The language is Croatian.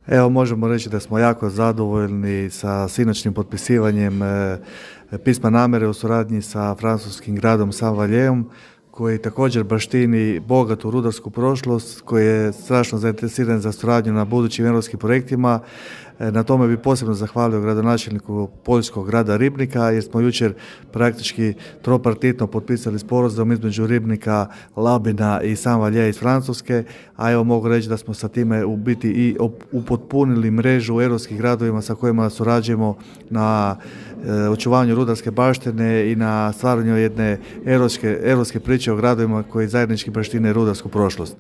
Evo, možemo reći da smo jako zadovoljni sa sinoćnim potpisivanjem pisma namjere u suradnji sa francuskim gradom Saint-Valjeom, koji također baštini bogatu rudarsku prošlost, koji je strašno zainteresiran za suradnju na budućim europskim projektima. Na tome bi posebno zahvalio gradonačelniku poljskog grada Ribnika, jer smo jučer praktički tropartitno potpisali sporazum između Ribnika, Labina i Saint-Valjean iz Francuske, a evo mogu reći da smo sa time u biti i upotpunili mrežu u europskih gradovima sa kojima surađujemo na očuvanju rudarske baštine i na stvaranju jedne europske priče o gradovima koji zajednički baštine rudarsku prošlost.